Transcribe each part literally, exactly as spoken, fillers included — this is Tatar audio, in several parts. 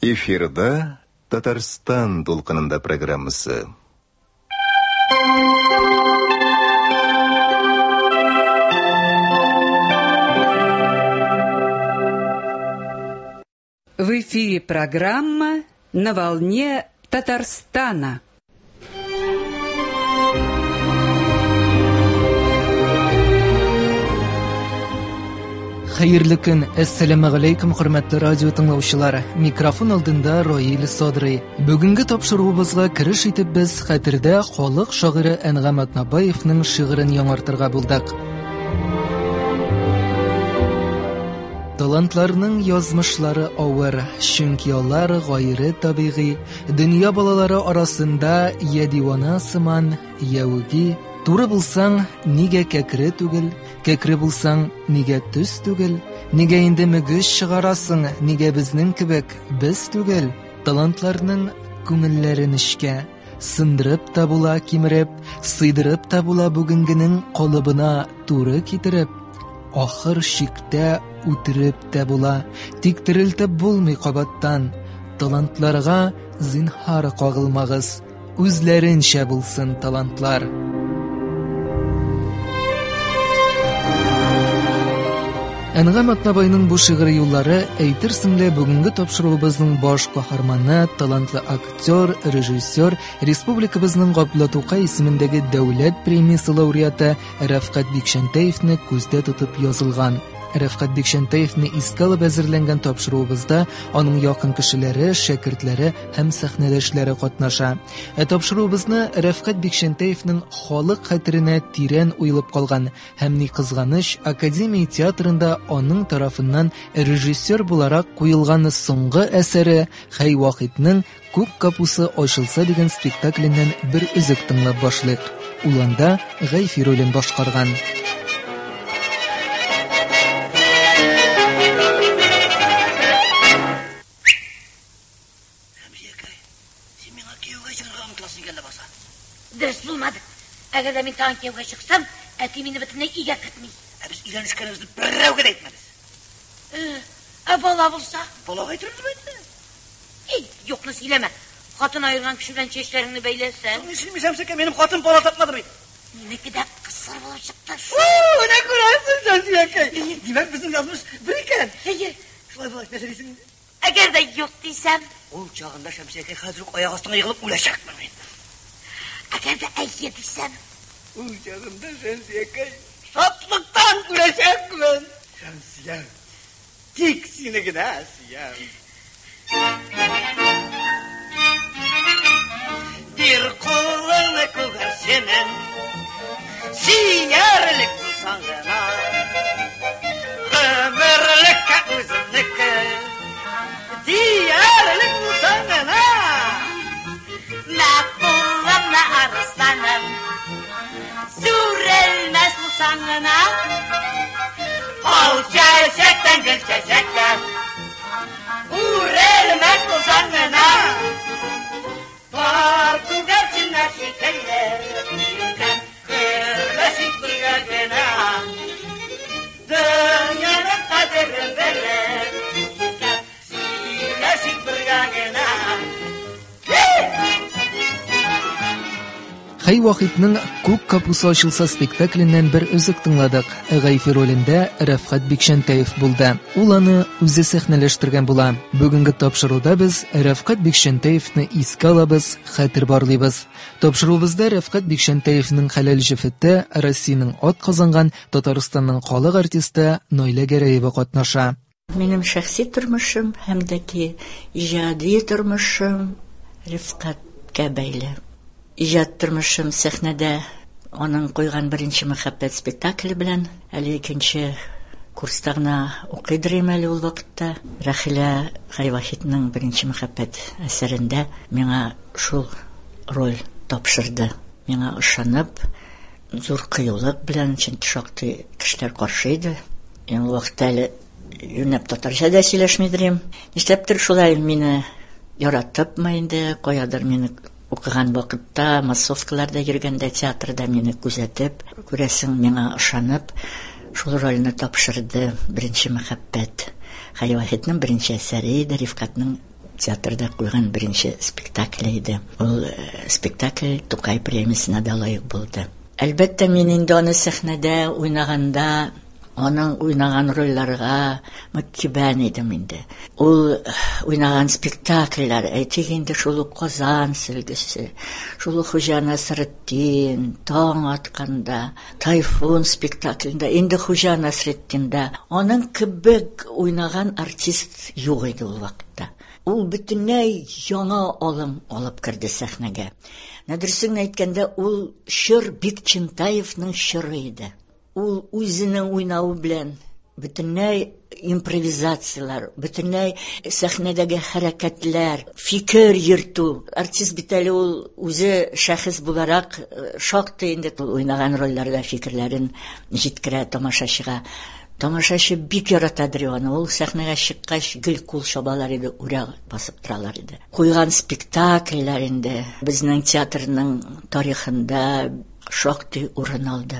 Эфирда Татарстан дулкынында программасы. В эфире программа «На волне Татарстана». Хәерле көн, әссәламү галәйкүм, хөрмәтле радио тыңлаучылар. Микрофон алдында Раил Садрый. Бүгенге тапшыруыбызга кереш итеп без хәтердә халык шагыйре Әнгам Атнабаевның шигырен яңартырга булдык. Талантларның язмышлары авыр, чөнки алар гайре табигый, дөнья балалары арасында я дивана сыман, я үги. Туры булсаң, нигә кәкре түгел, кәкре булсаң, нигә төз түгел, нигә инде мөгез чыгарасың, нигә безнең кебек без түгел. Талантларның күңелләре нечкә, сындырып та була кимереп, сыйдырып та була бүгенгенең калыбына туры китереп, ахыр чиктә үтереп тә була, тик терелтеп булмый кабаттан. Талантларга зинһар кагылмагыз, үзләренчә булсын талантлар. Әнгам Атнабайның бу шигъри юллары әйтерсең лә бүгенге тапшыруыбызның баш каһарманы, талантлы актер, режиссер, республикабызның Габдулла Тукай исемендәге дәүләт премиясе лауреаты Рәфкать Бикчәнтәевне күздә тотып язылган. Рәфкать Бикчәнтәевне искә алып әзерләнгән тапшыруыбызда аның якын кешеләре, шәкертләре һәм сәхнәдәшләре катнаша. Ә тапшыруыбызны Рәфкать Бикчәнтәевнең халык хәтеренә тирән уелып калган һәм ни кызганыч, Академия театрында аның тарафыннан режиссер буларак куелган соңгы әсәре Хәй Вахитның Күк капусы ачылса дигән спектакленнән бер өзек тыңлап башлыйк. Ул анда Гайфи ролен башкарган. Дөрес булмады. Әгәр дә мин тагын кияүгә чыксам, әти мине бөтенләй өйгә кертми. Ә без өйләнешкәнебезне берәүгә дә әйтмәбез. Ә бала булса? Балага әйтербез бит. Эй, юкны сөйләмә. Хатын аерган кеше белән чәчләреңне бәйләсәң. Ни сөйлисең, Шәмсекә, минем хатын бала тапмады бит. Минеке дә кысыр булып чыкты. Фу, менә күрәсең, Шәмсекә. Димәк, безнең язмыш бер икән. Әйе. Шулай булгач, нәрсә дисең инде? Әгәр дә юк дисәм, ул чагында Шәмсекә хәзер үк аяк астына егылып үләчәкмен мин. Әгәр дә әйе дисәм, ул чагында Шәмсиякәй шатлыктан үләчәкмен. Шәмсия, тик сине генә сөям. Бир кулыңны күгәрченең, сөярлек булсаң гына, гомерлеккә үземнеке диярлек булсаң гына. Мәкулымны арысланым, сүрелмәс булсаң гына, ал чәчәктән гөл чәчәккә үрелмәс булсаң гына, пар күгәрченнәр шикелле гөрләшик бергә генә, дөньяның кадерен белеп сөйләшик бергә генә. Хәй Вахитның Күк капусы ачылса спектакленнән бер өзек тыңладык. Гайфи ролендә Рәфкать Бикчәнтәев булды. Ул аны үзе сәхнәләштергән була. Бүгенге тапшыруда без Рәфкать Бикчәнтәевне искә алабыз, хәтер барлыйбыз. Тапшыруыбызда Рәфкать Бикчәнтәевнең хәләл җефете, Россиянең ат казанган Татарстанның халык артисты Наилә Гәрәева катнаша. Минем шәхси тормышым һәм дә ки иҗади тормышым Рәфкатькә бәйле. Иҗат тормышым сәхнәдә аның куйган беренче мәхәббәт спектакле белән, әле икенче курста гына укыйдыр идем әле ул вакытта. Рәхилә Хәй Вахитның беренче мәхәббәт әсәрендә миңа шул роль тапшырды. Миңа ышанып, зур кыюлык белән, чөнки шактый кешеләр каршы иде. Мин ул вакытта әле юнәп татарча да сөйләшмидер идем. Нишләптер шулай мине яратыпмы инде, каядыр мине Укыган вакытта, массовкаларда йөргәндә театрда мине күзәтеп, күрәсең, миңа ышанып, шул рольне тапшырды. Беренче мәхәббәт. Хәй Вахитның беренче әсәре иде, Рифкатның театрда куйган беренче спектакле иде. Ул спектакль Тукай премиясенә дә лаек булды. Әлбәттә, мин инде аны сәхнәдә уйнаганда, аның уйнаган рольләргә мөкиббән идем инде. Ул уйнаган спектакльләр, әйтик инде, шул ук Казан сөлгесе, шул ук Хуҗа Насретдин, Таң атканда, Тайфун спектаклендә, инде Хуҗа Насретдиндә аның кебек уйнаган артист юк иде ул вакытта. Ул бөтенләй яңа алым алып керде сәхнәгә. Дөресен әйткәндә, ул чор Бикчәнтаевның чоры иде. Ул үзенең уйнавы белән бөтенләй импровизацияләр, бөтенләй сәхнәдәге хәрәкәтләр, фикер йөртү. Артист бит әле ул үзе шәхес буларак шактый инде ул уйнаган рольләрдә фикерләрен җиткерә тамашачыга. Тамашачы бик яратадыр аны. Ул сәхнәгә чыккач гел кул чабалар иде, үрә басып торалар иде. Куйган спектакльләр инде безнең театрның тарихында шактый урын алды.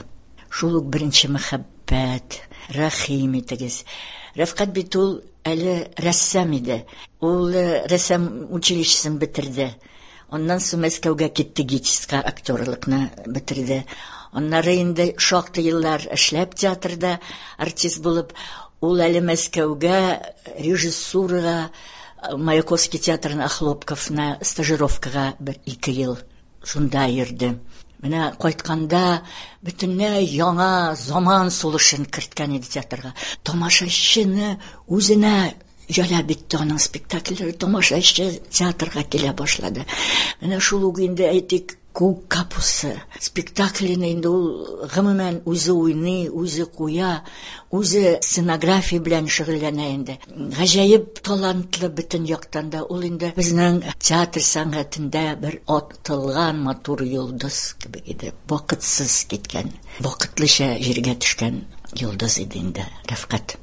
Шул ук беренче мәхәббәт, рәхим итегез. Рәфкать бит ул әле рәссам иде. Ул рәссам училищесын бетерде. Аннан соң Мәскәүгә китте, ГИТИСка актерлыкны бетерде. Аннары инде шактый еллар эшләп театрда артист булып, ул әле Мәскәүгә режиссурага, Маяковский театрына, Хлопковна стажировкага бер ике ел шунда йөрде. Менә кайтканда бөтенләй яңа заман сулышын керткән иде театрга. Тамашачыны үзенә җәлеп итте аның спектакльләре, тамашачы театрга килә башлады. Менә шул ук инде әйтик, Күк капусы спектаклен инде ул гомумән үзе уйный, үзе куя, үзе сценография белән шөгыльләнә инде. Гаҗәеп талантлы бөтен яктан да ул инде безнең театр сәнгатендә бер атылган матур йолдыз кебек иде. Вакытсыз киткән, вакытлыча җиргә төшкән йолдыз иде инде Рәфкать.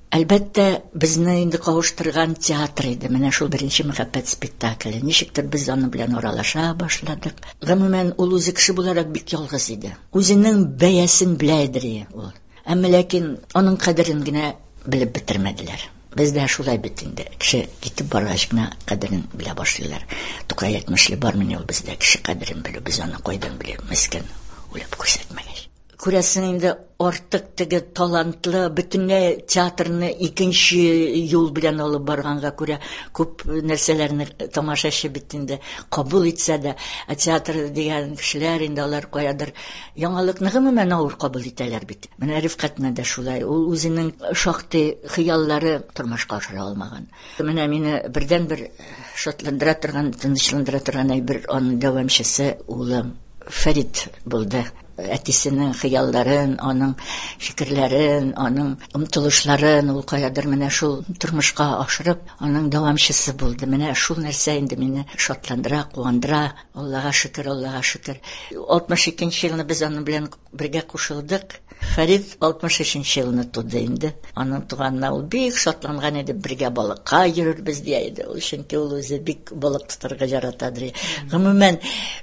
Әлбәттә, безне инде кавыштырган театр иде. Менә шул беренче мәхәббәт спектакле. Ничектер без аның белән аралаша башладык. Гомумән, ул үзе кеше буларак бик ялгыз иде. Үзенең бәясен белә иде ул. Әмма ләкин аның кадерен генә белеп бетермәделәр. Бездә шулай бит инде. Кеше китеп баргач кына кадерен белә башлыйлар. Тукай әйтмешли, бармыни ул бездә кеше кадерен белү, без аны кайдан беләбез, мескен үлеп күрсәтмәгәч. Күрәсең инде, артык теге талантлы, бөтенләй театрны икенче юл белән алып барганга күрә күп нәрсәләрне тамашачы бит инде кабул итсә дә, ә театр дигән кешеләр инде алар каядыр яңалыкны гомумән авыр кабул итәләр бит. Менә Рифкатны да шулай, ул үзенең шактый хыяллары тормышка ашыра алмаган. Менә мине бердәнбер шатландыра торган, тынычландыра торган әйбер аның дәвамчысы улым Фәрит булды. Әтисенең хыялларын, аның фикерләрен, аның омтылышларын ул каядыр менә шул тормышка ашырып, аның дәвамчысы булды. Менә шул нәрсә инде мине шатландыра, куандыра. Аллага шөкер, Аллага шөкер. алтмыш икенче елны без аның белән бергә кушылдык. Фәрит алтмыш өченче елны туды инде. Аның туганына ул бик шатланган иде, бергә балыкка йөрербез дия иде. Ул чөнки ул үзе бик балык тотарга яратадыр. Гомумән,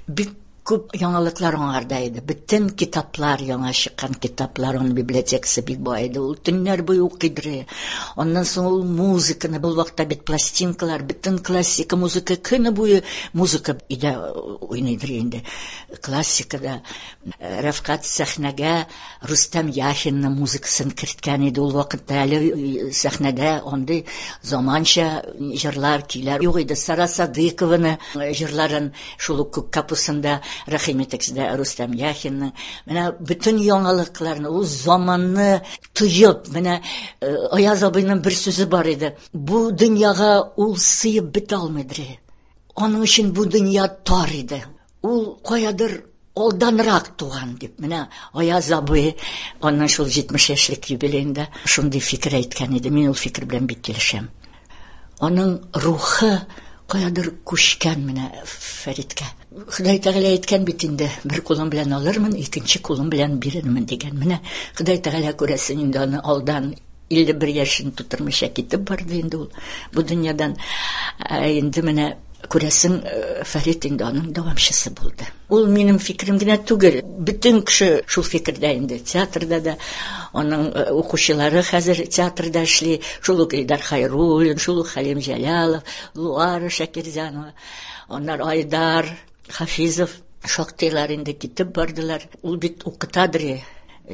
бик күп яңалыклар аңарда иде. Бөтен китаплар, яңа чыккан китаплар, аның библиотекасы бик бай иде. Ул төннәр буе укыйдыр. Аннан соң ул музыканы, бу вакытта бит пластинкалар, бөтен классика музыка, көне буе музыка өйдә уйныйдыр инде. Классикада Рәфкать сәхнәгә Рустам Яхинның музыкасын керткән иде. Ул вакытта әле сәхнәдә андый заманча җырлар, көйләр юк иде. Сара Садыкованы җырларын шул ук Күк капусында, рәхим итегез дә Рустам Яхинның. Менә бөтен яңалыкларны, ул заманны тоеп, менә Аяз абыйның бер сүзе бар иде. Бу дөньяга ул сыеп бетә алмыйдыр. Аның өчен бу дөнья тар иде. Ул каядыр алданрак туган дип. Менә Аяз абый аның шул җитмеш яшьлек юбилеенда шундый фикер әйткән иде. Мин ул фикер белән бик килешәм. Аның рухы каядыр күчкән менә Фәриткә. Ходай Тәгалә әйткән бит инде, бер кулым белән алырмын, икенче кулым белән бирермен дигән. Менә Ходай Тәгалә күрәсең инде аны алдан илле бер яшен тутырмыйча китеп барды инде ул бу дөньядан. Ә инде менә Күрәсең, Фәрит инде аның дәвамчысы булды. Ул минем фикерем генә түгел, бөтен кеше шул фикердә инде. Театрда да аның укучылары хәзер театрда эшли. Шул ук Илдар Хайруллин, шул ук Хәлим Җәлалов, Луара Шакирзянова, аннары Айдар Хафизов, шактыйлар инде китеп бардылар. Ул бит укытадыр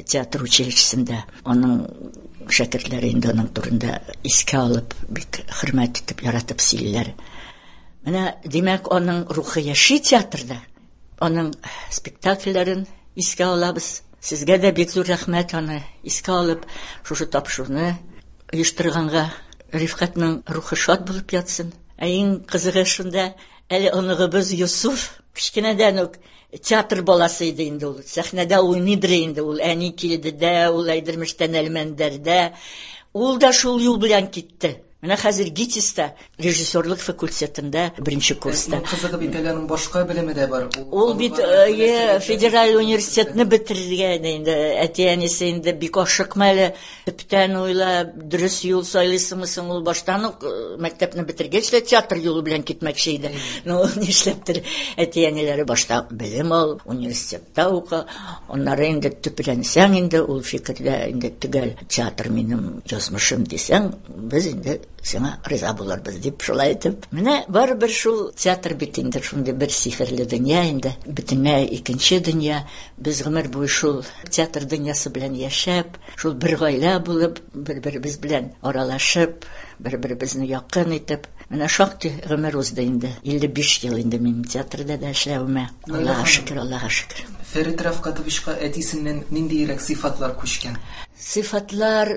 театр училищесында. Аның шәкертләре инде аның турында искә алып, бик хөрмәт итеп, яратып сөйлиләр. Менә, димәк, аның рухы яши театрда. Аның спектакльләрен искә алабыз. Сезгә дә бик зур рәхмәт аны искә алып, шушы тапшыруны оештырганга. Рифкатның рухы шат булып ятсын. Ә иң кызыгы шунда, әле оныгыбыз Юсуф кечкенәдән үк театр баласы иде инде ул. Сәхнәдә уйныйдыр инде ул. Әни килде дә, ул Әйдермештән Әлмәндәрдә. Ул да шул юл белән китте. Менә хәзер ГИТИСта, режиссерлык факультетында беренче курста. Кызыгы бит әле аның башка белеме дә бар. Ул бит федераль университетны бетергән инде. Әти-әнисе инде бик ашыкма әле, төптән уйла, дөрес юл сайлыйсыңмы соң, ул баштан ук мәктәпне бетергәч тә театр юлы белән китмәкче иде. Ну, нишләптер әти-әниләре башта белем ал, университетта укы, аннары инде төпләнсәң инде ул фикердә инде төгәл театр минем язмышым дисәң, без инде сиңа риза булырбыз дип шулай итеп. Менә барыбер шул театр бит инде шундый бер сихерле дөнья инде, бөтенләй икенче дөнья. Без гомер буе шул театр дөньясы белән яшәп, шул бер гаилә булып, бер-беребез белән аралашып, бер-беребезне якын итеп, менә шактый гомер узды инде. илле биш ел инде минем театрда да эшләвемә. Аллаһка шөкер, Аллаһка шөкер. Фәрит Рафкатовичка әтисеннән ниндиерәк сыйфатлар күчкән? Сыйфатлар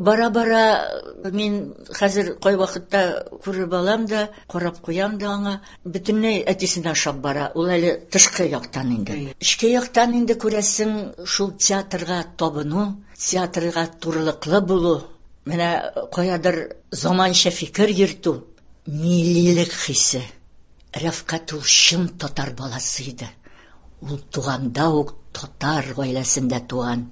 бара-бара мин хәзер кай вакытта күреп алам да, карап куям да аңа. Бөтенләй әтисенә ошап бара. Ул әле тышкы яктан инде. Эчке яктан инде күрәсең, шул театрга табыну, театрга турылыклы булу, менә каядыр заманча фикер йөртү, миллилек хисе. Рәфкать ул чын татар баласы иде. Ул туганда ук татар гаиләсендә туган.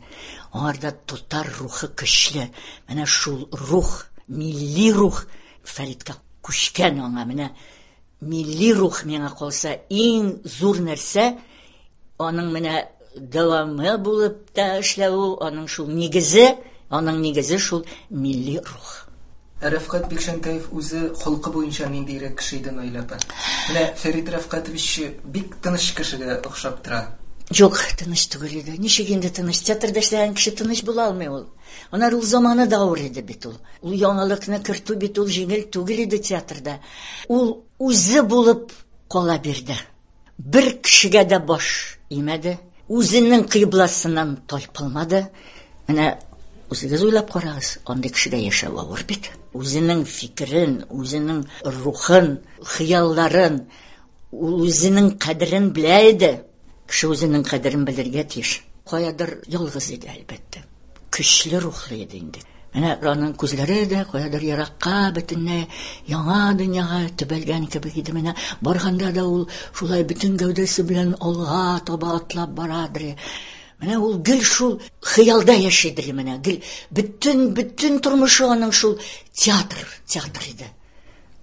Аңарда татар рухы көчле. Менә шул рух, милли рух Фәриткә күчкән аңа. Менә милли рух миңа калса иң зур нәрсә, аның менә дәвамы булып та эшләве, аның шул нигезе, аның нигезе шул милли рух. Рәфкать Бикчәнтәев үзе холкы буенча ниндиерәк кеше иде, Наилә апа? Менә Фәрит Рафкатович бик тыныч кешегә охшап тора. Юк, тыныч түгел иде. Ничек инде тыныч? Театрда эшләгән кеше тыныч була алмый ул. Аннары ул заманы да авыр иде бит ул. Ул яңалыкны кертү бит ул җиңел түгел иде театрда. Ул үзе булып кала бирде. Бер кешегә дә баш имәде. Үзенең кыйбласыннан тайпылмады. Менә үзегез уйлап карагыз, андый кешегә яшәү авыр бит. Үзенең фикерен, үзенең рухын, хыялларын, ул үзенең кадерен белә иде. Кеше үзенең кадерен белергә тиеш. Каядыр ялгыз иде, әлбәттә. Көчле рухлы иде инде. Менә аның күзләре дә каядыр еракка, бөтенләй яңа дөньяга төбәлгән кебек иде. Менә барганда да ул шулай бөтен гәүдәсе белән алга таба атлап барадыр. Менә ул гел шул хыялда яшидер, менә гел бөтен, бөтен тормышы аның шул театр, театр иде.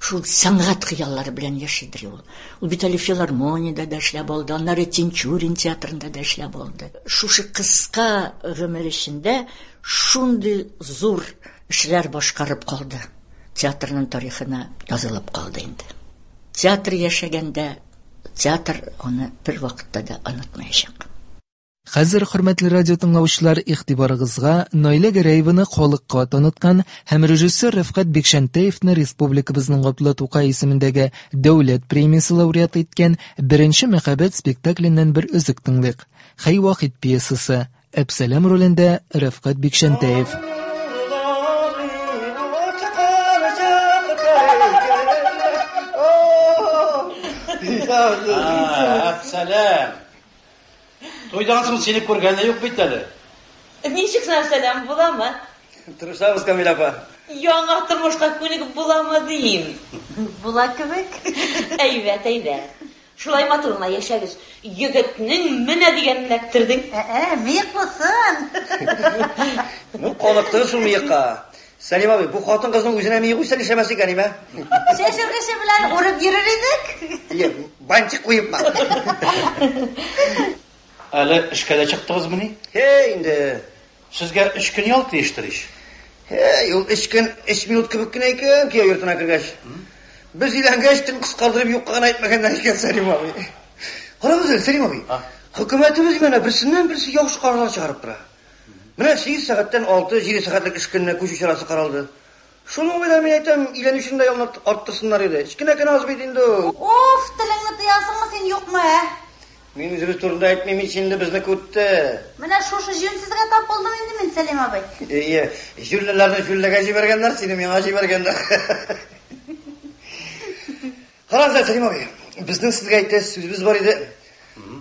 Шул сәнгать хыяллары белән яшидер ул. Ул бит әле филармониядә дә эшләп алды, аннары Тинчурин театрында да эшләп алды. Шушы кыска гомер эчендә шундый зур эшләр башкарып калды. Театрның тарихына язылып калды инде. Театр яшәгәндә театр аны бер вакытта да онытмаячак. Хәзер, хөрмәтле радио тыңлаучылар, игътибарыгызга Наилә Гәрәеваны халыкка таныткан һәм режиссер Рәфкать Бикчәнтәевны республикабызның Габдулла Тукай исемендәге дәүләт премиясе лауреаты иткән Беренче мәхәббәт спектакленнән бер өзек тыңлыйк. Хәй Вахит пьесасы. Әпсәләм ролендә Рәфкать Бикчәнтәев. Әпсәләм. Туйдан соң сине күргәне юк бит әле. Ничек сәлам буламы? Тырышабыз, Камилә апа. Яңа тормышка күнегеп буламы дим. Була кебек. Әйбәт, әйбәт. Шулай матур гына яшәгез. Егетнең менә дигәнен эләктердең. Ә, мыек булсын. Ну, каныктың шул мыекка. Сәлим абый, бу хатын кызның үзенә ми куйса нишләмәс икән, име? Чәчүргече белән урып йөрер идек. Ие, бантик куепмы? Әле эшкә дә чыктыгызмыни? Һей, инде. Сезгә өч көн ял тиештер ич. Һей, ул өч көн өч минут кебек кенә икән, кияү йортына кергәч. Без өйләнгәч, төн кыскардырып юкка гына әйтмәгәннәр икән, Сәлим абый. Карагыз әле, Сәлим абый. Хөкүмәтебез менә берсеннән берсе яхшы карарлар чыгарып тора. Менә сигез сәгатьтән алты, җиде сәгатьлек эш көненә күчү чарасы каралды. Шуның белән мин әйтәм, өйләнүчене дә ялны арттырсыннар иде. Кечкенә кенә аз бит инде. Уф, телеңне тыясыңмы син, юкмы, ә? Мин үзебез турында әйтмим ич инде, безне күтте. Менә шушы җүнсезгә тап булдым инде мин, Сәлим абый. Ие, җүллеләрне җүллегә җибәргәннәр, сине миңа җибәргәннәр. Карагыз әле, Сәлим абый, безнең сезгә әйтәсе сүзебез бар иде.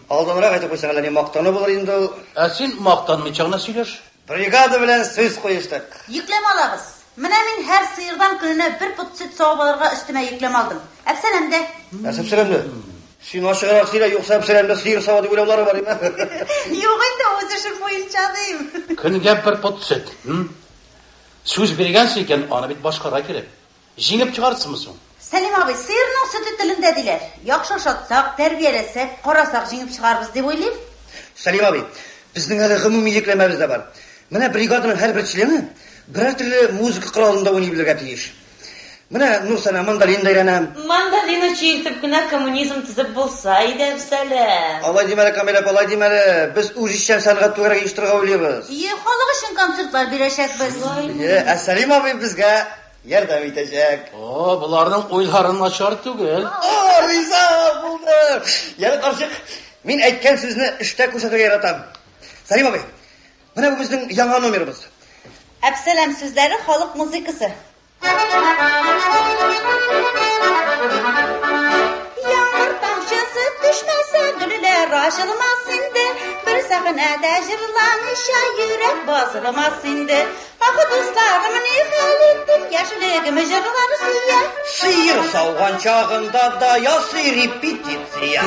Алданрак әйтеп куйсаң, әллә ни мактану булыр инде ул. Ә син мактанмыйча гына сөйләш. Бригада белән сүз куештык. Йөкләмә алабыз. Менә мин һәр сыердан көненә бер пот сөт савып алырга өстемә йөкләмә алдым. Әпсәләм дә. Нәрсә әпсәләм дә? Син ачыграк сөйлә, юкса әпсәләм дә сыер сава дип уйлаулары бар име? Юк инде, үз эшем буенча дим. Көнгә бер пот сөт. Сүз биргәнсең икән, аны бит башкарга кирәк. Җиңеп чыгарсыңмы соң? Сәлим абый, сыерның сөте телендә диләр. Яхшы ашатсак, тәрбияләсәк, карасак җиңеп чыгарбыз дип уйлыйм. Сәлим абый, безнең әле гомуми йөкләмәбез дә бар. Менә бригаданың һәрбер члены берәр төрле музыка коралында уйный белергә тиеш. Менә Нурсана мандолин да өйрәнә. Мандолина чиертеп кенә коммунизм төзеп булса иде, Әпсәләм. Алай димә әле, Камилә апа, алай димә әле. Без үзешчән сәнгать түгәрәге оештырырга уйлыйбыз. Ие, халык өчен концертлар бирәчәкбез. Ие, ә Сәлим абый безгә ярдәм итәчәк. О, боларның уйлары начар түгел. О, риза булдым. Яны карчык, мин әйткән сүзне эштә күрсәтергә яратам. Сәлим абый, менә бу безнең яңа номерыбыз. Әпсәләм сүзләре халык музыкасы. Яңгыр тамчысы төшмәсә, гөлләр ачылмас инде. Бер сәхнәдә җырламыйча йөрәк басылмас инде. Ах, дусларым, ни хәл иттем, яшьлегем җырлар сөя. Сыер сауган чагында да ясый репетиция.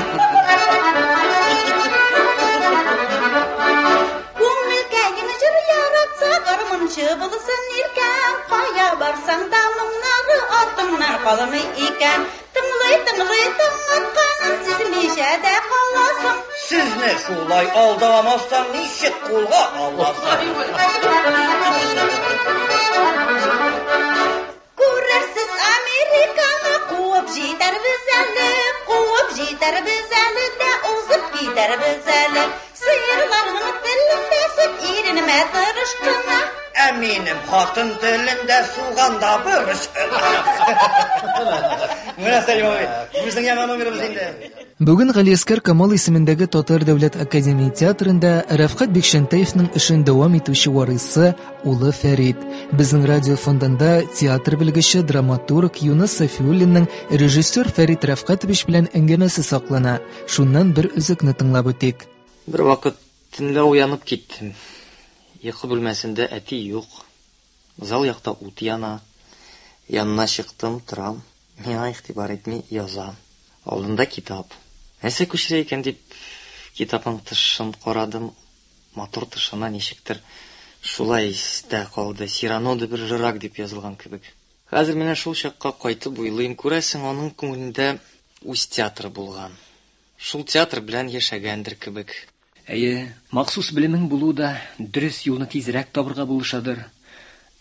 Күңелкәем җыр яратса, гармунчы булсын иркәм. Кая барсаң да моңнары артыңнан калмый икән. Тыңлый, тыңлый, таң атканын сизмичә дә каласың. Сезне шулай алдамасаң, ничек кулга аласың? Күрерсез Американы, куып җитәрбез әле, куып җитәрбез әле дә узып китәрбез әле. Сыерларның телендә сөт иренмә тырыш кына. Ә минем хатын телендә суганда борыч кына. Менә Сәлим абый, безнең яңа номерыбыз инде. Бүген Галиәскәр Камал исемендәге Татар дәүләт академия театрында Рәфкать Бикчәнтәевның эшен дәвам итүче варисы улы Фәрит. Безнең радио фондында театр белгече, драматург Юныс Сафиуллинның режиссер Фәрит Рәфкатович белән әңгәмәсе саклана. Шуннан бер өзекне тыңлап үтик. Бер вакыт төнлә уянып киттем. Йокы бүлмәсендә әти юк. Зал якта ут яна. Янына чыктым, торам. Миңа игътибар итми яза. Алдында китап. Нәрсә күчерә икән дип китапның тышын карадым. Матур тышына ничектер шулай истә калды. Сирано де Бержерак дип язылган кебек. Хәзер менә шул чакка кайтып уйлыйм. Күрәсең, аның күңелендә үз театры булган. Шул театр белән яшәгәндер кебек. Әйе, махсус белемең булу да дөрес юлны тизрәк табырга булышадыр.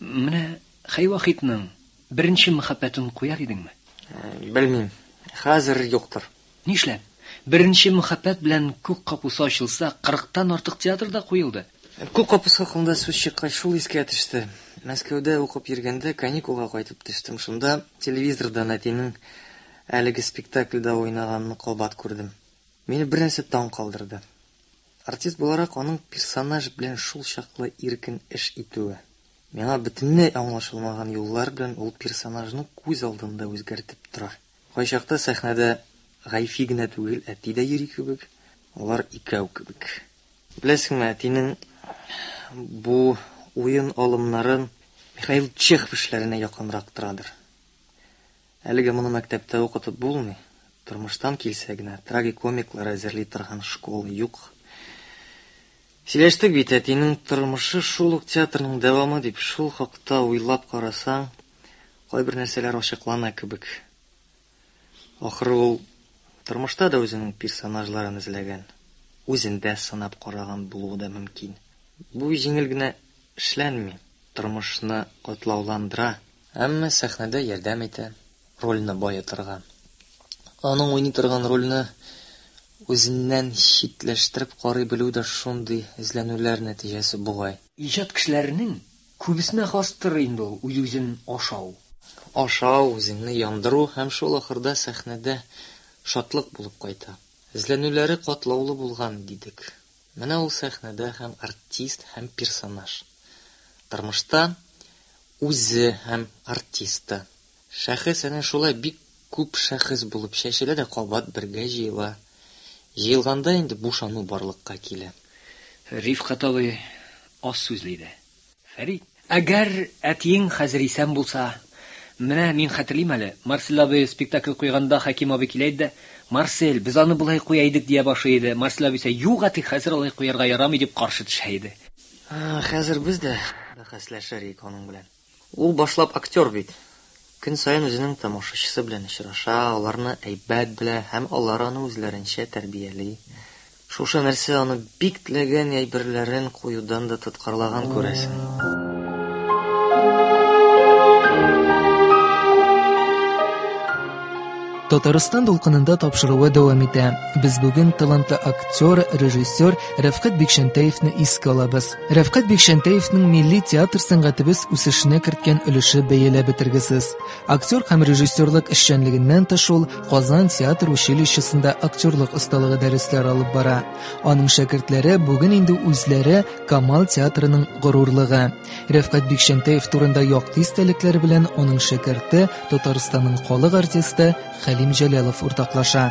Менә Хәй Вахитның беренче мәхәббәтен куяр идеңме? Белмим. Хәзер юктыр. Нишләп? Беренче мәхәббәт белән күк капусы ачылса, кырыктан артык театрда куелды. Күк капусы хакында сүз чыккач, шул искә төште. Мәскәүдә укып йөргәндә каникулга кайтып төштем. Шунда телевизордан әтинең әлеге спектакльдә уйнаганын кабат күрдем. Мине бер нәрсә таң калдырды. Артист буларак аның персонаж белән шул чаклы иркен эш итүе. Миңа бөтенләй аңлашылмаган юллар белән ул персонажны күз алдында үзгәртеп тора. Кайчакта сәхнәдә Гайфи генә түгел, әти дә йөри кебек, алар икәү кебек. Беләсеңме, әтинең бу уен алымнарын Михаил Чехов эшләренә якынрак торадыр. Әлегә моны мәктәптә укытып булмый. Тормыштан килсә генә трагикомиклар әзерли торган школа юк. Сөйләштек бит, әтинең тормышы шул ук театрның дәвамы дип, шул хакта уйлап карасаң, кайбер нәрсәләр ачыклана кебек. Ахыры ул тормышта да үзенең персонажларын эзләгән, үзендә сынап караган булуы да мөмкин. Бу җиңел генә эшләнми, тормышны катлауландыра, әмма сәхнәдә ярдәм итә, рольне баетырга. Аның уйный торган рольне үзеннән читләштереп карый белү дә шундый эзләнүләр нәтиҗәсе бугай. Иҗат кешеләренең күбесенә хастыр инде ул үз-үзен ашау. Ашау, үзеңне яндыру һәм шул ахырда сәхнәдә шатлык булып кайта. Эзләнүләре катлаулы булган дидек. Менә ул сәхнәдә һәм артист, һәм персонаж. Тормышта үзе һәм артист та. Шәхес әнә шулай бик күп шәхес булып чәчелә дә кабат бергә җыела. Җыелганда инде бушану барлыкка килә. Рифкать абый аз сүзле иде. Фәрит, әгәр әтиең хәзер исән булса, менә мин хәтерлим әле, Марсель абый спектакль куйганда Хәким абый килә иде дә, Марсель, без аны болай куя идек дия башлый иде. Марсель абый исә, юк, әти, хәзер алай куярга ярамый дип каршы төшә иде. Хәзер без дә бәхәсләшер идек аның белән. Ул башлап актер бит. Көн саен үзенең тамашачысы белән очраша, аларны әйбәт белә һәм алар аны үзләренчә тәрбияли. Шушы нәрсә аны бик теләгән әйберләрен куюдан да тоткарлаган күрәсең. Татарстан дулкынында тапшыруы дәвам итә. Без бүген талантлы актер, режиссер Рәфкать Бикчәнтәевне искә алабыз. Рәфкать Бикчәнтәевнең милли театр сәнгатебез үсешенә керткән өлеше бәяләп бетергесез. Актер һәм режиссерлык эшчәнлегеннән тыш ул Казан театр училищесында актерлык осталыгы дәресләре алып бара. Аның шәкертләре бүген инде үзләре Камал театрының горурлыгы. Рәфкать Бикчәнтәев турында якты истәлекләр белән аның шәкерте, Татарстанның халык артисты Хәлим Җәләлов уртаклаша.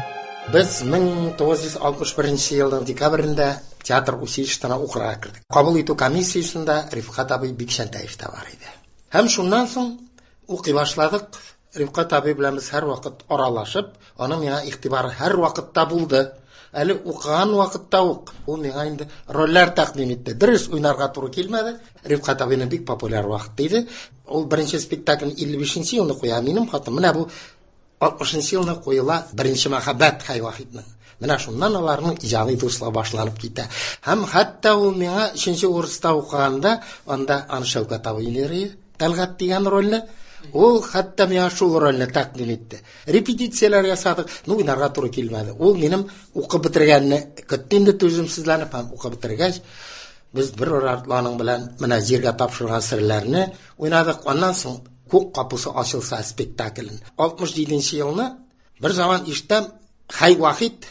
Без мең тугыз йөз алтмыш беренче елның декабрендә театр училищесына укырга кердек. Кабул итү комиссиясендә Рифкать абый Бикчәнтәев тә бар иде. Һәм шуннан соң укый башладык. Рифкать абый белән без һәрвакыт аралашып, аның миңа игътибары һәрвакытта булды. Әле укыган вакытта ук ул миңа инде рольләр тәкъдим итте. Дөрес уйнарга туры килмәде. Рифкать абыйның бик популяр вакыты иде. Ул беренче спектаклен илле бишенче елны куя. Минем хатым менә бу алтмышынчы елны куела беренче мәхәббәт Хәй Вахитның. Менә шуннан аларның иҗади дуслыгы башланып китә. Һәм хәтта ул миңа өченче курста укыганда, анда аны Шәүкәт абый уйный, Тәлгать дигән рольне, ул хәтта миңа шул рольне тәкъдим итте. Репетицияләр ясадык, ну уйнарга туры килмәде. Ул минем укып бетергәнне көтте инде түземсезләнеп, һәм укып бетергәч, без бер артланың белән менә җиргә тапшырган серләрне уйнадык. Аннан соң Күк капусы ачылса спектаклен. алтмыш җиденче елны бер заман ишетәм, Хәй Вахит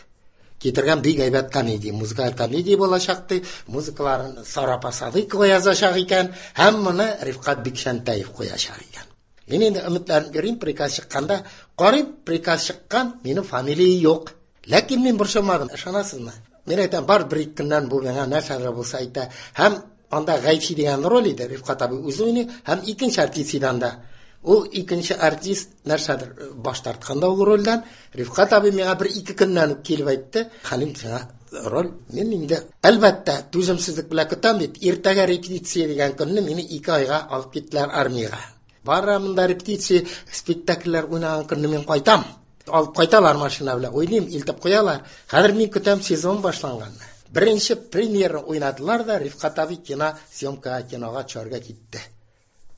китергән бик әйбәт комедия, музыкаль комедия булачак ди, музыкаларын Сара апа Садыйкова язачак икән, һәм моны Рифкать Бикчәнтәев куячак икән. Мин инде өметләнеп йөрим, приказ чыкканда, карыйм, приказ чыккан, минем фамилия юк. Ләкин мин борчылмадым, ышанасызмы? Мин әйтәм, бар бер ике көннән бу миңа нәрсәдер булса әйтә. Һәм анда Гайфи дигән роль иде, Рифкать абый үзе уйный, һәм икенче артист иде анда. Ул икенче артист нәрсәдер баш тартканда ул рольдән, Рифкать абый миңа бер ике көннән үк килеп әйтте, Хәлим, сиңа роль, мин инде әлбәттә түземсезлек белән көтәм бит. Иртәгә репетиция дигән көнне мине ике айга алып киттеләр армиягә. Барам монда репетиция, спектакльләр уйнаган көнне мин кайтам. Алып кайталар машина белән, уйныйм, илтеп куялар. Хәзер мин көтәм сезон башланганны. Беренче премьера уйнадылар да, Рифкать абый кино съемкага, кинога төшәргә китте.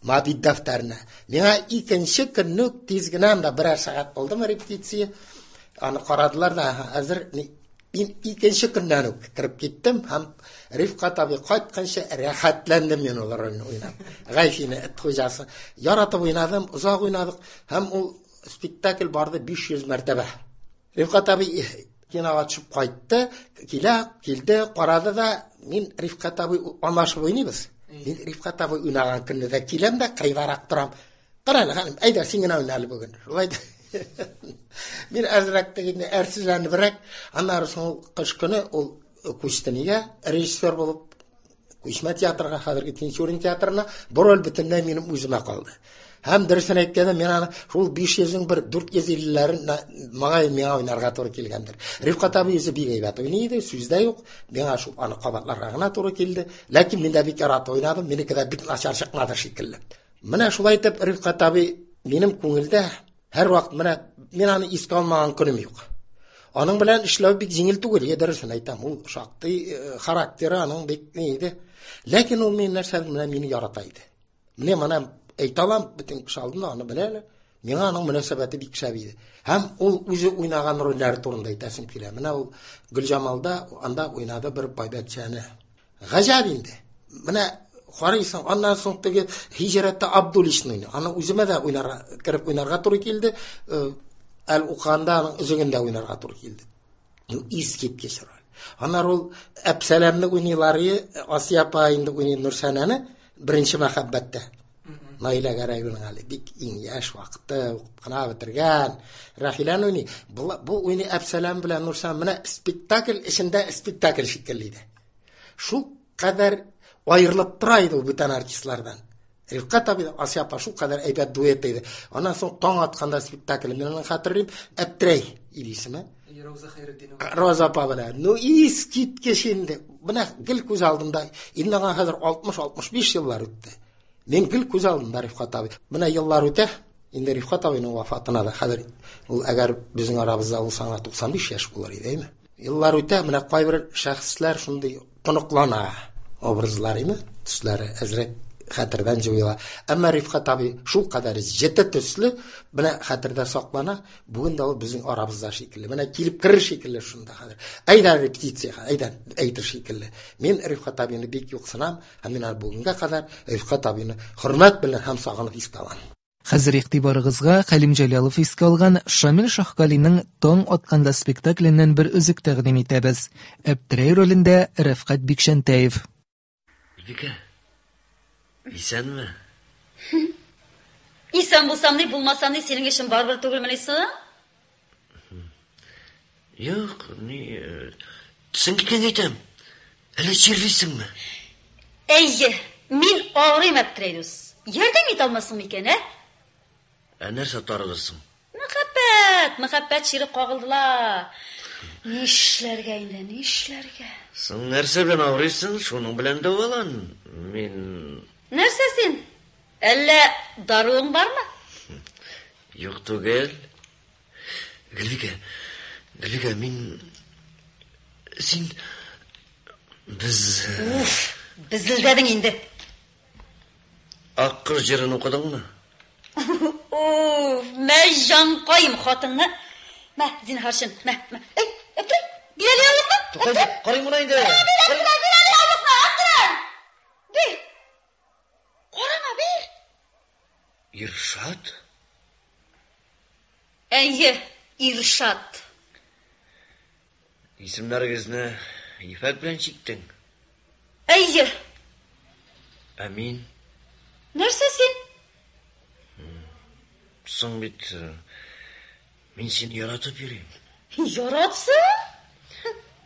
Мабит дәфтәренә. Миңа икенче көнне үк тиз генә анда берәр сәгать булдымы репетиция. Аны карадылар да, хәзер мин икенче көннән үк кереп киттем һәм Рифкать абый кайтканчы рәхәтләндем мин ул рольне уйнап. Гайфине, эт хуҗасы. Яратып уйнадым, озак уйнадык һәм ул спектакль барды биш йөз мәртәбә. Рифкать абый кинога төшеп кайтты, килә, килде, карады да, мин Рифкать абый аңлашып уйныйбыз. Мин Рифкать абый уйнаган көнне дә киләм дә кайварак торам. Кара әле, ханым, әйдә, син генә уйна әле бүген. Шулай да. Мин әзрәк тегенне әрсезләнебрәк, аннары соң ул кыш көне ул күчте нигә? Режиссер булып Күчмә театрга, хәзерге Тинчурин театрына. Бу роль бөтенләй минем үземә калды. Һәм дөресен әйткәндә, мин аны шул биш йөзнең бер дүрт йөз иллеләрен маңа миңа уйнарга туры килгәндер. Рифкать абый үзе бик әйбәт уйный иде, сүз дә юк. Миңа шул аны кабатларга гына туры килде. Ләкин мин дә бик яратып уйнадым, минеке дә бик начар чыкмады шикелле. Менә шулай итеп Рифкать абый минем күңелдә һәрвакыт, менә мин аны искә алмаган көнем юк. Аның белән эшләү бик җиңел түгел, дөресен әйтәм. Ул шактый характеры аның бик ни иде. Ләкин ул мин нәрсә белән мине ярата иде. Менә моны әйтә алам, бөтен кеше алдында аны беләләр. Миңа аның мөнәсәбәте бик шәп иде. Һәм ул үзе уйнаган рольләр турында әйтәсем килә. Менә ул Гөлҗамалда анда уйнады бер байбәтчәне. Гаҗәп инде. Менә карыйсың, аннан соң теге Һиҗрәттә Абдуллишны уйный. Аны үземә дә уйнарга, кереп уйнарга туры килде. Әл укыганда аның үзегендә уйнарга туры килде. Искиткеч роль. Аннары ул Әпсәләмне уйныйлар, Асия апа инде уйный Нурсәнәне беренче мәхәббәттә. Наилә Гәрәеваның әле бик иң яшь вакыты, укып кына бетергән. Рәхиләне уйный. Бу, бу уйный Әпсәләм белән Нурсәнә. Менә спектакль эчендә спектакль шикелле иде. Шул кадәр аерылып тора иде ул бүтән артистлардан. Рифкать абый, Асия апа шул кадәр әйбәт дуэт иде. Аннан соң таң атканда спектакль, мин аны хәтерлим, Әптерәй иде исеме. Роза Хәйретдинова. Роза апа белән. Ну, искиткеч инде. Менә гел күз алдымда. Инде аңа хәзер алтмыш алтмыш биш еллар үтте. Мин гел күз алдымда Рифкать абый. Менә еллар үтә. Инде Рифкать абыйның вафатына да хәзер ул әгәр безнең арабызда булса, аңа туксан биш яшь булыр иде, әйме? Еллар үтә, менә кайбер шәхесләр шундый тоныклана образлар, әйме? Төсләре әзрәк хәтердән җуела. Әмма Рифкать абый шул кадәр җете төсле, менә хәтердә саклана. Бүген дә ул безнең арабызда шикелле. Менә килеп керер шикелле шунда хәзер. Әйдә репетициягә, әйдә әйтер шикелле. Мин Рифкать абыйны бик юксынам, һәм мин аны бүгенгә кадәр Рифкать абыйны хөрмәт белән һәм сагынып искә алам. Хәзер игътибарыгызга Хәлим Җәләлов искә алган Шамил Шаһгалинең Таң атканда спектакленнән бер өзек тәкъдим итәбез. Әптерәй ролендә Рәфкать Бикчәнтәев. Бикә, исәнме? Исән булсам ни, булмасам ни, синең эшең барыбер түгелмени соң? Юк, ни, төсең киткән әйтәм. Әллә чирлисеңме? Әйе, мин авырыйм, Әптерәй дус. Ярдәм итә алмассың микән, ә? Ә нәрсә тарылырсың? Мәхәббәт, мәхәббәт чире кагылдылар. Нишләргә инде, нишләргә? Соң нәрсә белән авырыйсың, шуның белән дәвалан. Мин... Нәрсә син? Әллә даруың бармы? Юк түгел. Гөлбикә, Гөлбикә, мин... Син... Без... Уф, безелдәдең инде. Ак кыз җырын укыдыңмы? Уф, мә җанкаем хатынны. Мә, зинһар өчен, мә, мә. Эй, Әптерәй, бир әле яулыкны. Тукта, карыйм моны инде. Бир, Әптерәй, бир әле яулыкны, Әптерәй. Бир. Карама, бир. Иршат? Әйе, Иршат. Исемнәрегезне ефәк белән чиктең. Әйе. Ә мин? Нәрсә син? Соң бит мин сине яратып йөрим. Яратсың?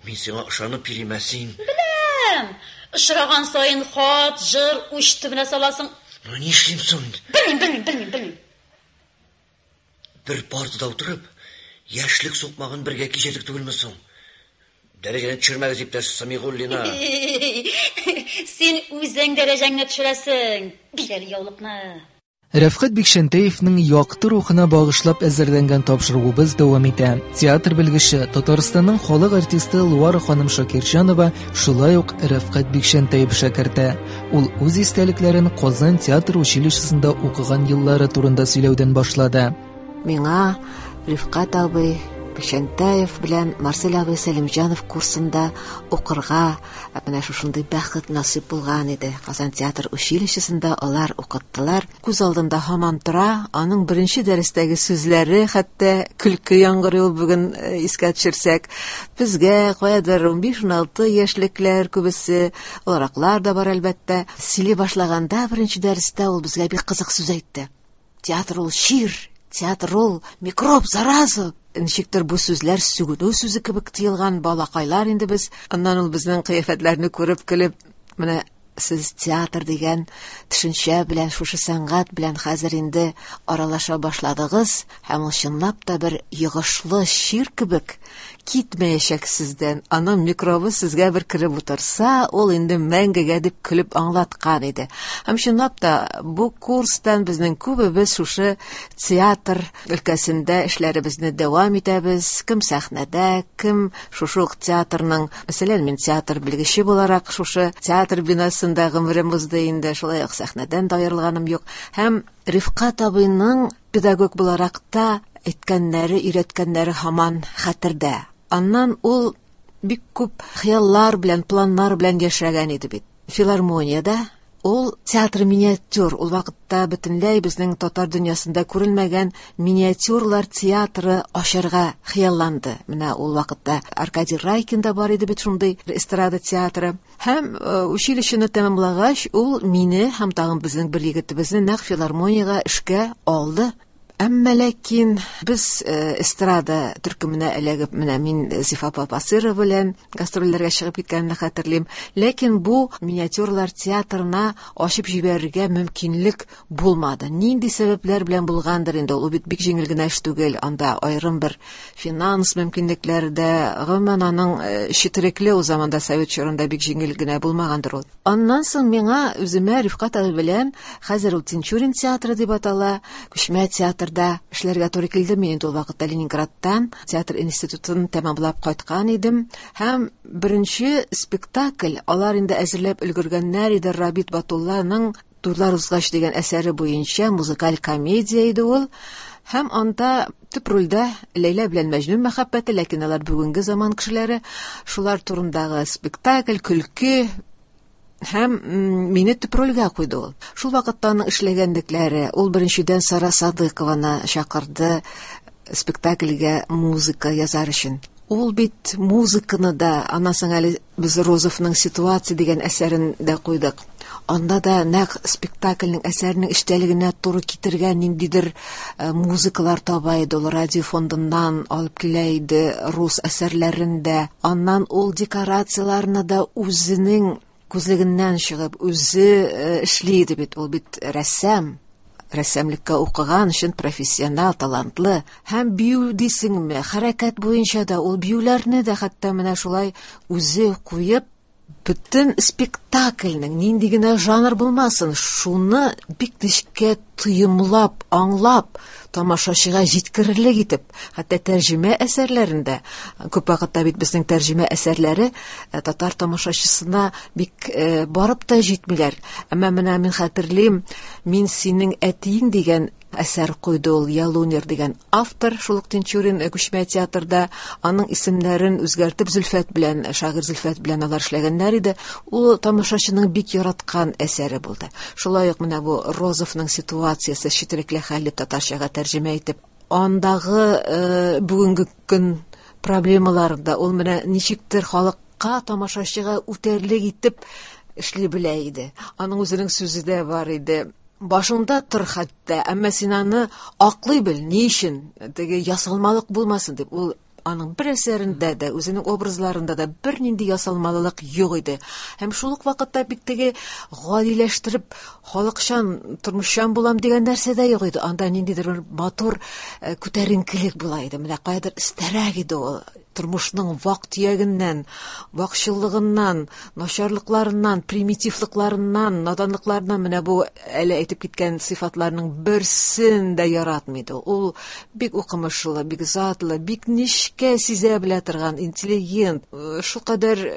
Мин сиңа ышанып йөрим, ә син? Беләм. Очраган саен хат, җыр уч төбенә саласың. Ну, нишлим соң инде? Белмим, белмим, белмим, белмим. Бер партада утырып, яшьлек сукмагын бергә кичердек түгелме соң? Дәрәҗәне төшермәгез, иптәш Самигуллина. Син үзең дәрәҗәңне төшерәсең. Бир әле яулыкны. Рәфкать Бикчәнтәевнең якты рухына багышлап әзерләнгән тапшыруыбыз дәвам итә. Театр белгече, Татарстанның халык артисты Луара ханым Шакирҗанова шулай ук Рәфкать Бикчәнтәев шәкерте. Ул үз истәлекләрен Казан театр училищесында укыган еллары турында сөйләүдән башлады. Миңа Рифкать абый Бикчәнтәев белән Марсель абый Сәлимҗанов курсында укырга менә шушындый бәхет насыйп булган иде. Казан театр училищесында алар укыттылар. Күз алдында һаман тора, аның беренче дәрестәге сүзләре, хәтта көлке яңгырый ул бүген искә төшерсәк. Безгә каядыр унбиш-уналты яшьлекләр күбесе, олыраклар да бар әлбәттә. Сөйли башлаганда беренче дәрестә ул безгә бик кызык сүз әйтте. Театр ул чир, театр ул микроб, зараза. Ничектер бу сүзләр сүгенү сүзе кебек тыелган балакайлар инде без. Аннан ул безнең кыяфәтләрне күреп көлеп, менә Сез театр дигән төшенчә белән, шушы сәнгать белән хәзер инде аралаша башладыгыз, һәм ул чынлап та бер йогышлы чир кебек китмәячәк сездән. Аның микробы сезгә бер кереп утырса, ул инде мәңгегә дип көлеп аңлаткан иде. Һәм чынлап та бу курстан безнең күбебез шушы театр өлкәсендә эшләребезне дәвам итәбез. Кем сәхнәдә, кем шушы ук театрның, мәсәлән, мин театр белгече буларак шушы театр бинасында гомерем узды инде, шулай ук сәхнәдән дә аерылганым юк. Һәм Рифкать абыйның педагог буларак та әйткәннәре, өйрәткәннәре һаман хәтердә. Аннан ул бик күп хыяллар белән, планнар белән яшәгән иде бит. Филармониядә ул театр миниатюр, ул вакытта бөтенләй безнең татар дөньясында күренмәгән миниатюрлар театры ачарга хыялланды. Менә ул вакытта Аркадий Райкин да бар иде бит шундый эстрада театры. Һәм училищены тәмамлагач, ул мине һәм тагын безнең бер егетебезне нәкъ филармониягә эшкә алды. Әмма ләкин без эстрада төркеменә эләгеп, менә мин Зифа апа Басырова белән гастрольләргә чыгып киткәнне хәтерлим. Ләкин бу миниатюрлар театрына ачып җибәрергә мөмкинлек булмады. Нинди сәбәпләр белән булгандыр инде, ул бит бик җиңел генә эш түгел. Анда аерым бер финанс мөмкинлекләре дә, гомумән аның четерекле ул заманда совет чорында бик җиңел генә булмагандыр ул. Аннан соң миңа үземә Рифкать абый белән, хәзер ул Тинчурин театры дип атала, күчмә театр да эшләргә туры килде. Мин инде ул вакытта Ленинградтан театр институтын тәмамлап кайткан идем. Һәм беренче спектакль алар инде әзерләп өлгергәннәр иде. Рабит Батулланың Туйлар узгач дигән әсәре буенча музыкаль комедия иде ул. Һәм анда төп рольдә Ләйлә белән Мәҗнүн мәхәббәте, ләкин алар бүгенге заман кешеләре, шулар турындагы спектакль, көлке. Һәм мине төп рольгә куйды ул. Шул вакытта аның эшләгәнлекләре, ул беренчедән Сара Садыкованы чакырды спектакльгә музыка язар өчен. Ул бит музыканы да, аннан соң әле без Розовның «Ситуация» дигән әсәрен дә куйдык. Анда да нәкъ спектакльнең әсәренең эчтәлегенә туры китергән ниндидер музыкалар таба иде. Ул радио фондыннан алып килә иде рус әсәрләрен дә. Аннан ул декорацияларны да үзенең күзлегеннән чыгып, үзе эшли иде бит. Ул бит рәссам, рәссамлыкка укыган өчен профессионал, талантлы. Һәм бию дисеңме, хәрәкәт буенча да ул биюләрне дә хәтта менә шулай үзе куеп, бөтен спектакльнең нинди генә жанр булмасын, шуны бик нечкә тоемлап, аңлап, тамашачыга җиткерерлек итеп, хәтта тәрҗемә әсәрләрендә, күп вакытта бит безнең тәрҗемә әсәрләре татар тамашачысына бик барып та җитмиләр. Әмма менә мин хәтерлим, «Мин синең әтиең» дигән әсәр куйды ул Ялунер дигән автор, шул ук Тинчурин күчмә театрда, аның исемнәрен үзгәртеп Зөлфәт белән, шагыйрь Зөлфәт белән алар эшләгәннәр иде. Ул тамашачының бик яраткан әсәре булды. Шулай ук менә бу Розовның «Ситуациясе» четерекле хәл дип татарчага тәрҗемә итеп, андагы бүгенге көн проблемаларында ул менә ничектер халыкка, тамашачыга үтәрлек итеп эшли белә иде. Аның үзенең сүзе дә бар иде. Башыңда тор хәтта, әмма син аны аклый бел, ни өчен, теге ясалмалык булмасын дип. Ул аның бер әсәрендә дә, үзенең образларында да бернинди ясалмалылык юк иде. Һәм шул ук вакытта бик теге гадиләштереп, халыкчан, тормышчан булам дигән нәрсә дә юк иде. Анда ниндидер бер матур күтәренкелек була иде. Менә каядыр истәрәк иде ул. Тормышның вак-төягеннән, вакчыллыгыннан, начарлыкларыннан, примитивлыкларыннан, наданлыкларыннан менә бу әле әйтеп киткән сыйфатларның берсен дә яратмый иде. Ул бик укымышлы, бик затлы, бик нечкә сизә белә торган интеллигент. Шулкадәр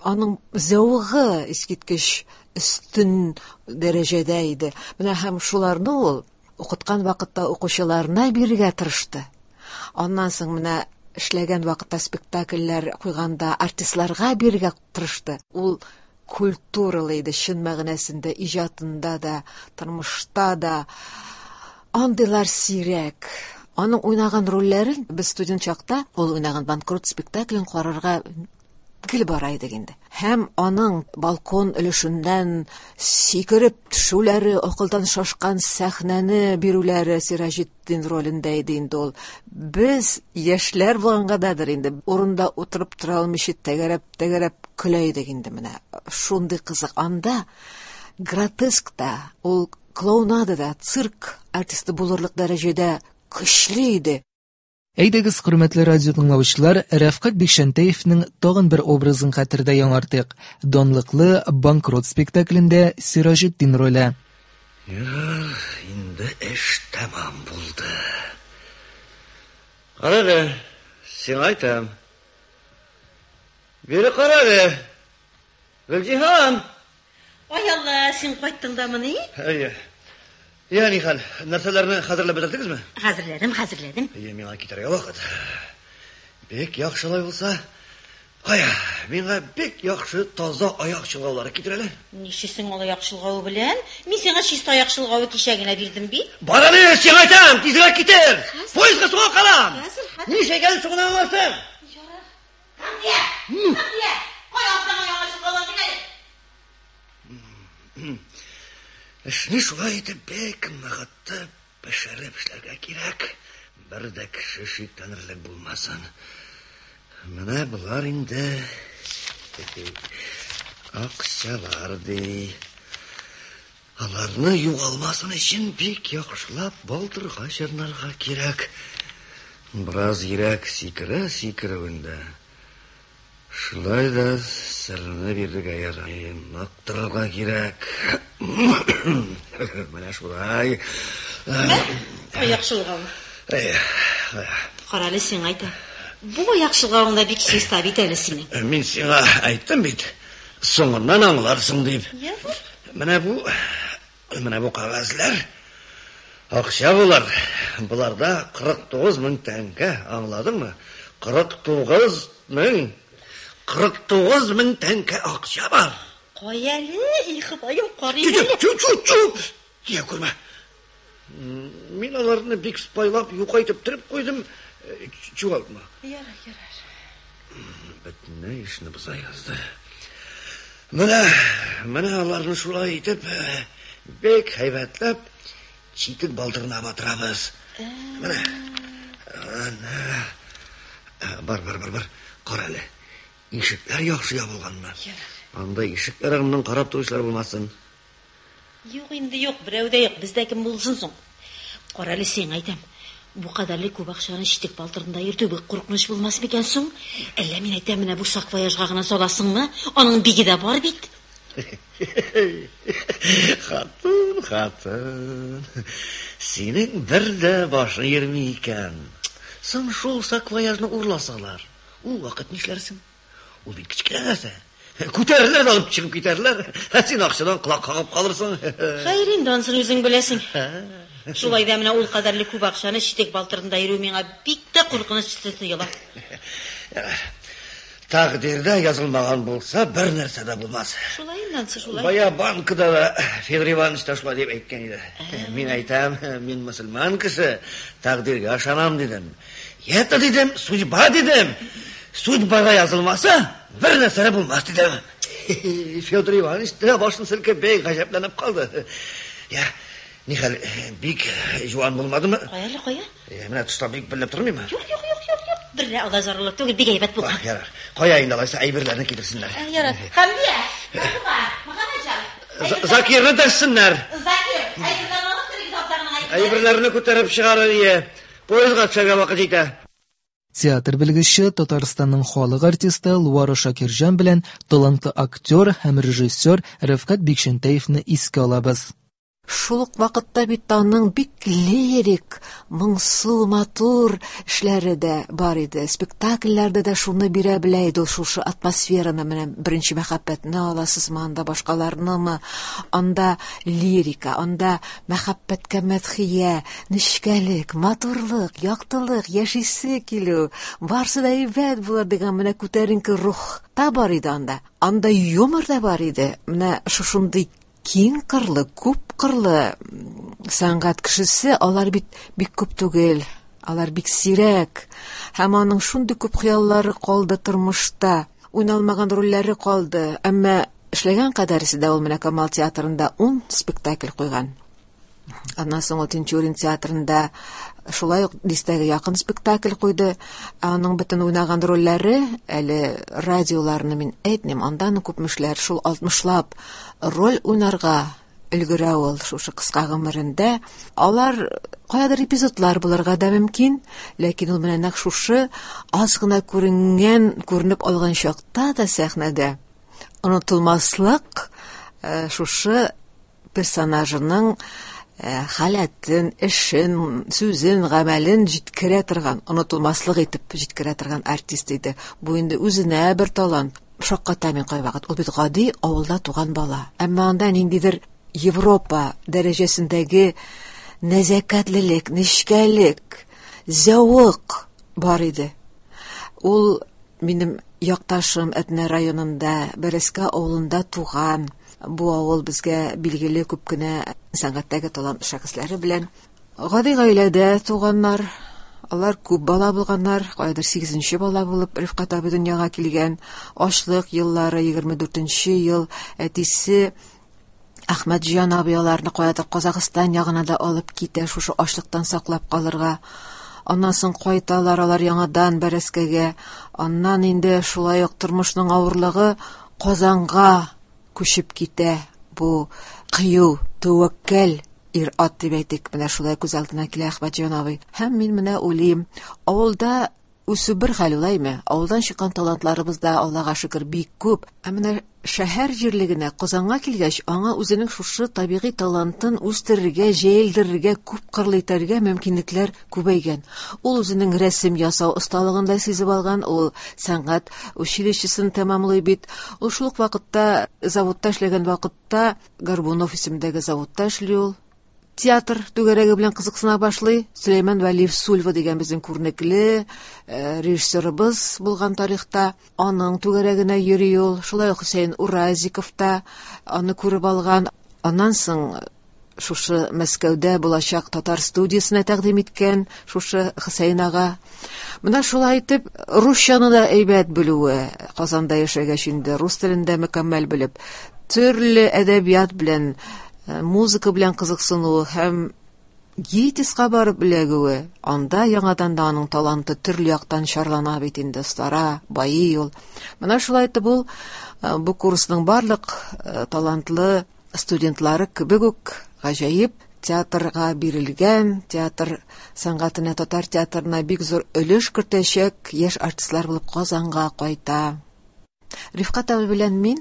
аның зәвыгы искиткеч өстен дәрәҗәдә иде. Менә һәм шуларны ул укыткан вакытта укучыларына бирергә тырышты. Аннан соң менә эшләгән вакытта спектакльләр куйганда артистларга бирергә тырышты. Ул культуралы иде, чын мәгънәсендә, иҗатында да, тормышта да. Андыйлар сирәк. Аның уйнаган рольләрен без студент чакта, ул уйнаган «Банкрот» спектаклен карарга гел бара идек инде. Һәм аның балкон өлешеннән сикереп төшүләре, акылдан шашкан сәхнәне бирүләре Сираҗетдин ролендә иде инде ул. Без яшьләр булгангадыр инде, урында утырып тора алмыйча тәгәрәп-тәгәрәп көлә идек инде менә. Шундый кызык. Анда гротеск та, ул клоунада да, цирк артисты булырлык дәрәҗәдә көчле иде. Әйдәгез, хөрмәтле радио тыңлаучылар, Рәфкать Бикчәнтәевнең тагын бер образын хәтердә яңартыйк. Данлыклы «Банкрот» спектаклендә Сираҗетдин роле. Эх, инде эш тәмам булды. Кара әле, сиңа әйтәм. Бире кара әле. Гөлҗиһан! Ай Алла, син кайттың дамыни? Әйе. Я, нихәл, нәрсәләрне хәзерләп бетердегезме? Хәзерләдем, хәзерләдем. Әйе, миңа китәргә вакыт. Бик яхшы алай булса. Кая, миңа бик яхшы таза аяк чолгаулары китер әле. Нишлисең ул аяк чолгавы белән? Мин сиңа чиста аяк чолгавы кичә генә бирдем бит. Бар әле, сиңа әйтәм, тизрәк китер. Поездга соңга калам. Хәзер, хәзер. Нишләгән соңына аласың? Ярар. Хәмдия, Хәмдия, кая атаңа яңа чолгаулар бир әле. Эшне шулай итеп бик ныгытып, пешереп эшләргә кирәк. Бер дә кеше шикләнерлек булмасын. Менә болар инде акчалар ди. Аларны югалмасын өчен бик яхшылап балтырга чорнарга кирәк. Бераз йөрәк сикерә сикерүендә. Шулай да серне бирергә ярый, нык торырга кирәк. Менә шулай. Аяк чолгавы. Әйе. Кара әле, сиңа әйтәм. Бу аяк чолгавың да бик чиста бит әле синең. Мин сиңа әйттем бит, соңыннан аңларсың дип. Ярар. Менә бу, менә бу кәгазьләр акча булар. Буларда кырык тугыз мең тәңкә, аңладыңмы? Кырык тугыз мең. Кырык тугыз мең тәңкә акча бар. Кая әле, и Ходаем, карыйм әле. Чү, чү, чү. Тия күрмә. Мин аларны бик спайлап, юка итеп төреп куйдым. Чуалтма. Ярар, ярар. Бөтенләй эшне боза язды. Менә, менә аларны шулай итеп, бик һәйбәтләп читек балтырына батырабыз. Менә. Әнә. Бар, бар, бар, бар. Кара әле. Ишекләр яхшы ябылганмы? Анда ишекләр артыннан карап торучылар булмасын. Юк инде, юк, берәү дә юк. Бездә кем булсын соң? Кара әле, сиңа әйтәм. Бу кадәрле күп акчаны читек балтырында йөртү бик куркыныч булмас микән соң? Әллә мин әйтәм, менә бу саквояжга гына саласыңмы? Аның биге дә бар бит. Хатын, хатын. Синең бер дә башың йөрми икән. Соң шул саквояжны урласалар, ул вакыт нишләрсең? Ул бит кечкенә нәрсә. Күтәрерләр дә алып чыгып китәрләр. Ә син акчадан колак кагып калырсың. Хәер инде, анысын үзең беләсең. Шулай да менә ул кадәрле күп акчаны читек балтырында йөрү миңа бик тә куркыныч тоела. Тәкъдирдә язылмаган булса, бер нәрсә дә булмас. Шулай инде, анысы шулай. Бая банкада да Федор Иванович та шулай дип әйткән иде. Мин әйтәм, мин мөселман кеше, тәкъдиргә ышанам дидем. Это дидем, судьба дидем. Судьбага язылмаса, бер нәрсә дә булмас дидем. Федор Иванович та башын селкеп бик гаҗәпләнеп калды. Я, нихәл, бик жуан булмадымы? Кая әле, кая? Менә тышта бик белеп тормыймы? Юк, юк, юк, юк, юк. Бер дә алай зарарлык түгел, бик әйбәт булган. Ярар. Кая инде алайса әйберләрне китерсеннәр. Ярар. Хәмдия, Фатыйма, Мөхәммәтҗан. Закирны дәшсеннәр. Закир, әйберләрне алып керегез абзарның әйберләрен. Әйберләрне күтәреп чыгарыр ие. Поездга төшәргә вакыт җитә. Театр белгече, Татарстанның халык артисты Луара Шакирҗан белән талантлы актер һәм режиссер Рәфкать Бикчәнтәевне искә алабыз. Шул ук вакытта бит аның бик лирик, моңсу, матур эшләре дә бар иде. Спектакльләрдә дә шуны бирә белә иде ул, шушы атмосфераны. Менә беренче мәхәббәтне аласызмы, анда башкаларнымы, анда лирика, анда мәхәббәткә мәдхия, нечкәлек, матурлык, яктылык, яшисе килү, барсы да әйбәт булыр дигән менә күтәренке рух та бар иде анда. Анда юмор да бар иде. Менә шушындый киң кырлы, күп кырлы сәнгать кешесе, алар бит бик күп түгел, алар бик сирәк. Һәм аның шундый күп хыяллары калды тормышта. уйналмаган рольләре калды. Әмма эшләгән кадәресе дә ул менә Камал театрында ун спектакль куйган. Аннан соң ул Тинчурин театрында шулай ук дистәгә якын спектакль куйды. Аның бөтен уйнаган рольләре, әле радиоларны мин әйтмим, андан күпмешләр, шул алтмышлап роль уйнарга өлгерә ул шушы кыска гомерендә. Алар каядыр эпизодлар булырга да мөмкин, ләкин ул менә нәкъ шушы аз гына күренгән, күренеп алган чакта да сәхнәдә онытылмаслык шушы персонажының халәтен, эшен, сүзен, гамәлен җиткерә торган, онытылмаслык итеп җиткерә торган артист иде. Бу инде үзенә бер талант. Шакката мин кайвакыт. Ул бит гади авылда туган бала. Әмма анда ниндидер Европа дәрәҗәсендәге нәзакәтлелек, нечкәлек, зәвык бар иде. Ул минем якташым Әтнә районында, Бәрәскә авылында туган. Бу авыл безгә билгеле күп кенә сәнгатьтәге талант шәхесләре белән. Гади гаиләдә туганнар, алар күп бала булганнар, кайдыр сигезенче бала булып Рифкать абый дөньяга килгән. Ачлык еллары, егерме дүртенче ел, әтисе Әхмәтҗан абый аларны каядыр Казахстан ягына да алып китә, шушы ачлыктан саклап калырга. Аннан соң кайталар алар яңадан Бәрәскәгә. Аннан инде шулай ук тормышның авырлыгы Казанга күчеп китә. Бу кыю, тәвәккәл ир-ат дип әйтик, менә шулай күз алдына килә Әхмәтҗан абый. Һәм мин менә уйлыйм, авылда үсү бер хәл улаймы? Авылдан чыккан талантларыбыз да, Аллага шөкер, бик күп. Ә менә шәһәр җирлегенә, Казанга килгәч, аңа үзенең шушы табигый талантын үстерергә, җәелдерергә, күп кырлы итәргә мөмкинлекләр күбәйгән. Ул үзенең рәсем ясау осталыгын да сизеп алган, ул сәнгать училищесын тәмамлый бит. Ул шул ук вакытта заводта эшләгән вакытта Горбунов исемендәге заводта эшли ул. Театр түгәрәге белән кызыксына башлый. Сөләйман Вәлиев Сульва дигән безнең күренекле режиссерыбыз булган тарихта, аның түгәрәгенә йөри ул. Шулай ук Хөсәен Уразиков та аны күреп алган. Аннан соң шушы Мәскәүдә булачак татар студиясенә тәкъдим иткән шушы Хөсәен ага. Менә шулай итеп русчаны да әйбәт белүе, Казанда яшәгәч инде рус телен дә мөкәммәл белеп, төрле әдәбият белән, музыка белән кызыксынуы һәм ГИТИСка барып эләгүе, анда яңадан да аның таланты төрле яктан чарлана бит инде, остара, байый ул. Менә шулай итеп ул бу курсның барлык талантлы студентлары кебек үк гаҗәеп театрга бирелгән, театр сәнгатенә, татар театрына бик зур өлеш кертәчәк яшь артистлар булып Казанга кайта. Рифкать абый белән мин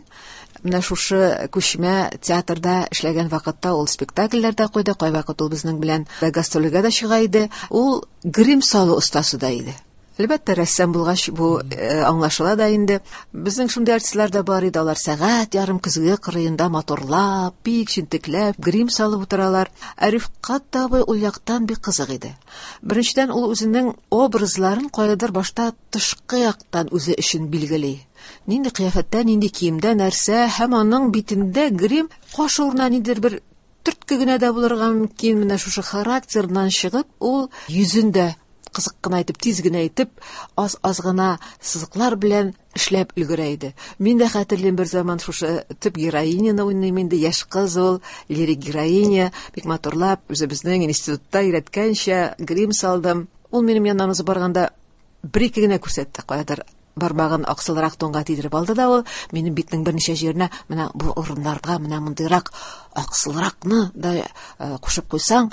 менә шушы күчмә театрда эшләгән вакытта ул спектакльләр дә куйды, кайвакыт ул безнең белән гастрольгә дә чыга иде. Ул грим салу остасы да иде. Әлбәттә, рәссам булгач бу аңлашыла да инде. Безнең шундый артистлар да бар иде, алар сәгать ярым көзге кырыенда моторлап, бик җентекләп грим салып утыралар. Ә Рифкать абый ул яктан бик кызык иде. Беренчедән, ул үзенең образларын каядыр башта тышкы яктан үзе өчен билгели. Нинди кыяфәттә, нинди киемдә, нәрсә, һәм аның битендә грим каш урынына ниндидер бер төртке генә дә булырга мөмкин. Менә шушы характерыннан чыгып, ул йөзен дә кызык кына итеп, тиз генә итеп, аз-аз гына сызыклар белән эшләп өлгерә иде. Мин дә хәтерлим, бер заман шушы төп героиняны уйныйм инде, яшь кыз ул, лирик героиня, бик матурлап, үзебезнең институтта өйрәткәнчә грим салдым. Ул минем яннан узып барганда бер-ике генә күрсәтте, каядыр бармагын аксылрак тонга тидереп алды да ул минем битнең берничә җиренә, менә бу урыннарга менә мондыйрак аксылракны да кушып куйсаң,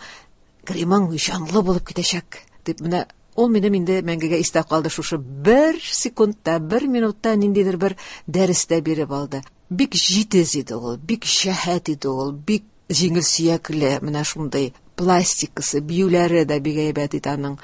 гримың җанлы булып китәчәк дип. Менә ул минем инде мәңгегә истә калды. Шушы бер секундта, бер минутта ниндидер бер дәрес тә биреп алды. Бик җитез иде ул, бик шәһәт иде ул, бик җиңел сөякле, менә шундый пластикасы, биюләре дә бик әйбәт иде аның.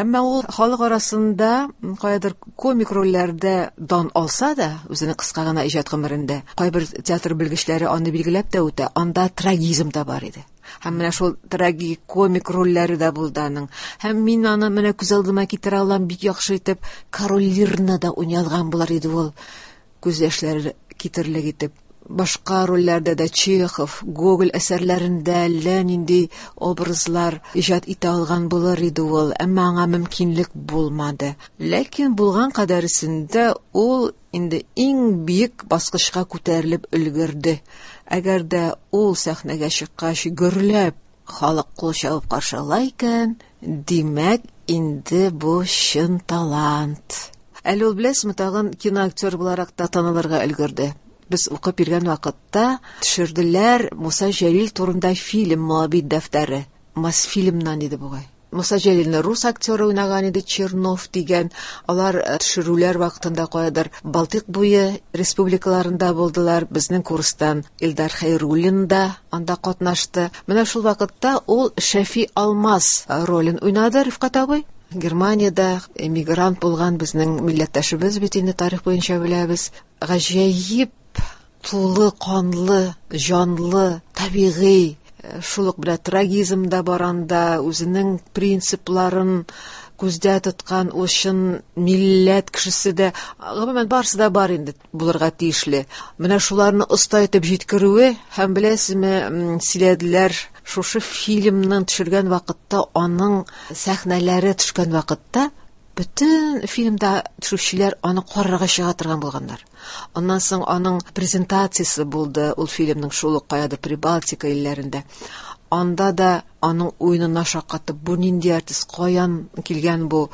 Әмма ул халык арасында каядыр комик рольләрдә дан алса да, үзенең кыска гына иҗат гомерендә, кайбер театр белгечләре аны билгеләп тә үтә, анда трагизм да бар иде. Һәм менә шул трагикомик рольләре дә булды аның. Һәм мин аны менә күз алдыма китерә алам бик яхшы итеп, Король Лирны да уйный алган булар иде ул, күз яшьләре китерлек итеп. Башка рольләрдә дә Чехов, Гоголь әсәрләрендә әллә нинди образлар иҗат итә алган булыр иде ул, әмма аңа мөмкинлек булмады. Ләкин булган кадәресендә ул инде иң биек баскычка күтәрелеп өлгерде. Әгәр дә ул сәхнәгә чыккач гөрләп халык кул чабып каршы ала икән, димәк, инде бу чын талант. Әле ул, беләсезме, тагын киноактер буларак та танылырга өлгерде. Без укып йөргән вакытта төшерделәр Муса Җәлил турында фильм «Моабит дәфтәре». Мосфильмнан иде бугай. Муса Җәлилне рус актеры уйнаган иде, Чернов дигән. Алар төшерүләр вакытында каядыр Балтыйк буе республикаларында булдылар. Безнең курстан Илдар Хәйруллин да анда катнашты. Менә шул вакытта ул Шәфи Алмаз ролен уйнады Рифкать абый. Германиядә эмигрант булган безнең милләттәшебез бит инде, тарих буенча беләбез. Гаҗәеп тулы канлы, җанлы, табигый, шул ук белән трагизм да бар анда, үзенең принципларын күздә тоткан ул чын милләт кешесе дә, гомумән барысы да бар инде булырга тиешле. Менә шуларны оста итеп җиткерүе һәм, беләсезме, сөйләделәр, шушы фильмның төшергән вакытта, аның сәхнәләре төшкән вакытта бөтен фильмда төшүчеләр аны карарга чыга торган булганнар. Аннан соң аның презентациясе булды ул фильмның шул ук каядыр Прибалтика илләрендә. Анда да аның уенына шаккатып, бу нинди артист, каян килгән бу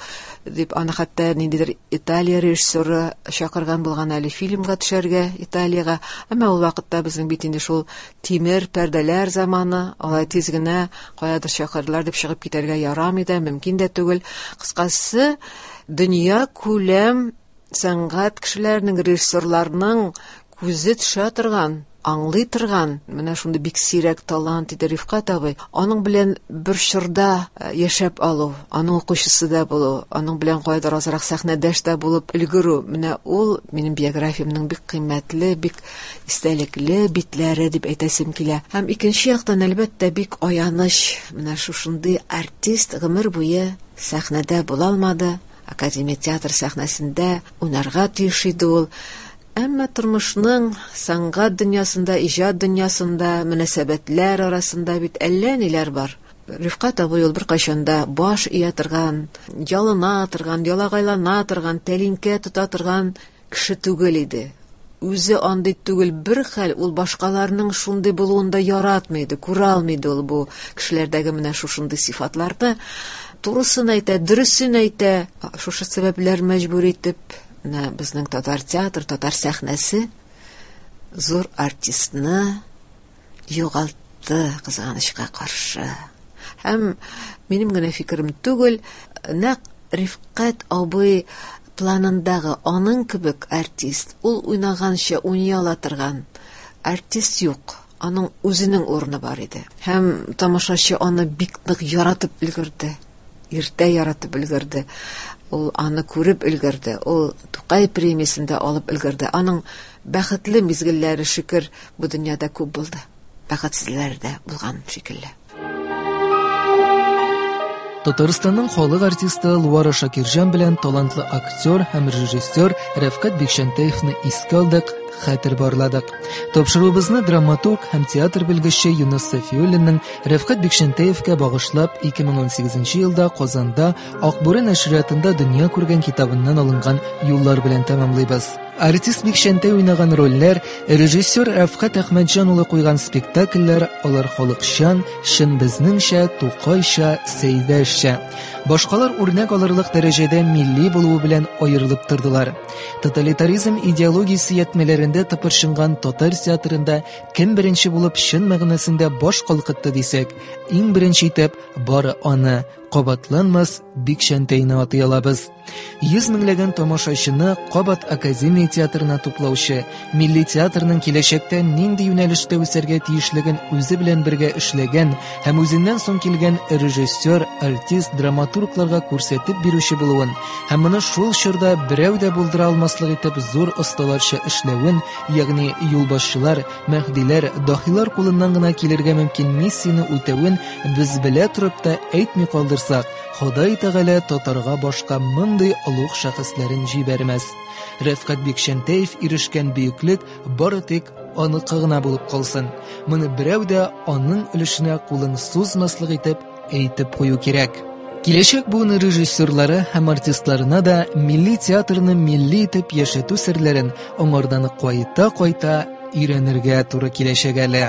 дип, аны хәтта ниндидер Италия режиссеры чакырган булган әле фильмга төшәргә Италиягә. Әмма ул вакытта безнең бит инде шул тимер пәрдәләр заманы, алай тиз генә каядыр чакырдылар дип чыгып китәргә ярамый да, мөмкин дә түгел. Кыскасы, дөнья күләм сәнгать кешеләренең, режиссерларның күзе төшә торган, аңлый торган, менә шундый бик сирәк талант иде Рифкать абый. Аның белән бер чорда яшәп алу, аның укучысы да булу, аның белән кайдыр азрак сәхнәдәш тә булып өлгерү, менә ул минем биографиямнең бик кыйммәтле, бик истәлекле битләре дип әйтәсем килә. Һәм икенче яктан, әлбәттә, бик аяныч, менә шушындый артист гомер буе сәхнәдә була алмады, Академия театр сәхнәсендә уйнарга тиеш иде ул. Әмма тормышның сәнгать дөньясында, иҗат дөньясында, мөнәсәбәтләр арасында бит әллә ниләр бар. Рифкать абый ул беркайчан да баш ия торган, ялына торган, ялагайлана торган, тәлинкә тота торган кеше түгел иде. Үзе андый түгел, бер хәл ул башкаларның шундый булуын да яратмый иде, күрә алмый иде ул бу кешеләрдәге менә шушындый сыйфатларны. Турысын әйтә, дөресен әйтә. Шушы сәбәпләр мәҗбүр итеп, менә безнең татар театр, татар сәхнәсе зур артистны югалтты, кызганычка каршы. Һәм минем генә фикерем түгел, нәкъ Рифкать абый планындагы аның кебек артист, ул уйнаганча уйный ала торган артист юк. Аның үзенең урыны бар иде. Һәм тамашачы аны бик нык яратып өлгерде. Иртә яратып өлгерде. Ул аны күреп өлгерде. Ул Тукай премиясен дә алып өлгерде. Аның бәхетле мизгелләре, шөкер, бу дөньяда күп булды. Бәхетсезләр дә булган шикелле. Татарстанның халык артисты Луара Шакирҗан белән талантлы актер һәм режиссер Рәфкать Бикчәнтәевны искә алдык, хәтер барладык. Тапшыруыбызны драматург һәм театр белгече Юныс Сафиуллинның Рәфкать Бикчәнтәевкә багышлап ике мең унсигезенче елда Казанда Акбүре нәшриятында дөнья күргән китабыннан алынган юллар белән тәмамлыйбыз. Артист Бикчәнтәй уйнаган рольләр, режиссер Рәфкать Әхмәтҗан улы куйган спектакльләр, алар халыкчан, чын безнеңчә, Тукайча, Сәйдәшчә. Башкалар үрнәк алырлык дәрәҗәдә милли булуы белән аерылып тордылар. Тоталитаризм идеологиясе ятмәләрендә тыпырчынган татар театрында кем беренче булып чын мәгънәсендә баш калкытты дисәк, иң беренче итеп бары аны, кабатланмас Бикчәнтәйне атый алабыз. Йөз меңләгән тамашачыны кабат Академия театрына туплаучы, милли театрның киләчәктә нинди юнәлештә үсәргә тиешлеген үзе белән бергә эшләгән һәм үзеннән соң килгән режиссер, артист, драматургларга күрсәтеп бирүче булуын һәм моны шул чорда берәү дә булдыра алмаслык итеп зур осталарча эшләвен, ягъни юлбашчылар, мәһдиләр, дахилар кулыннан гына килергә мөмкин миссияне үтәвен без белә торып та әйтми калдырсак, Ходай Тәгалә татарга башка мондый олуг шәхесләрен җибәрмәс. Рәфкать Бикчәнтәев ирешкән бөеклек бары тик аныкы гына булып калсын. Моны берәү дә аның өлешенә кулын сузмаслык итеп әйтеп кую кирәк. Киләчәк буын режиссерлары һәм артистларына да милли театрны милли итеп яшәтү серләрен аңардан кайта-кайта өйрәнергә туры киләчәк әле.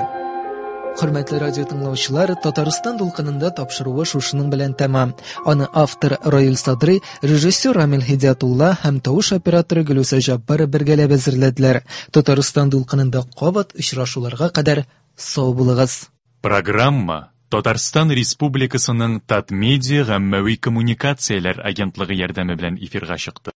Хөрмәтле радио тыңлаучылар, Татарстан дулкынында тапшыруы шушының белән тәмам. Аны автор Раил Садрый, режиссер Рамил Һидиятулла һәм тавыш операторы Гөлүсә Җаббар бергәләп әзерләделәр. Татарстан дулкынында кабат очрашуларга кадәр сау булыгыз. Программа Татарстан Республикасының Татмедиа гаммәви коммуникацияләр агентлыгы ярдәме белән эфирга чыкты.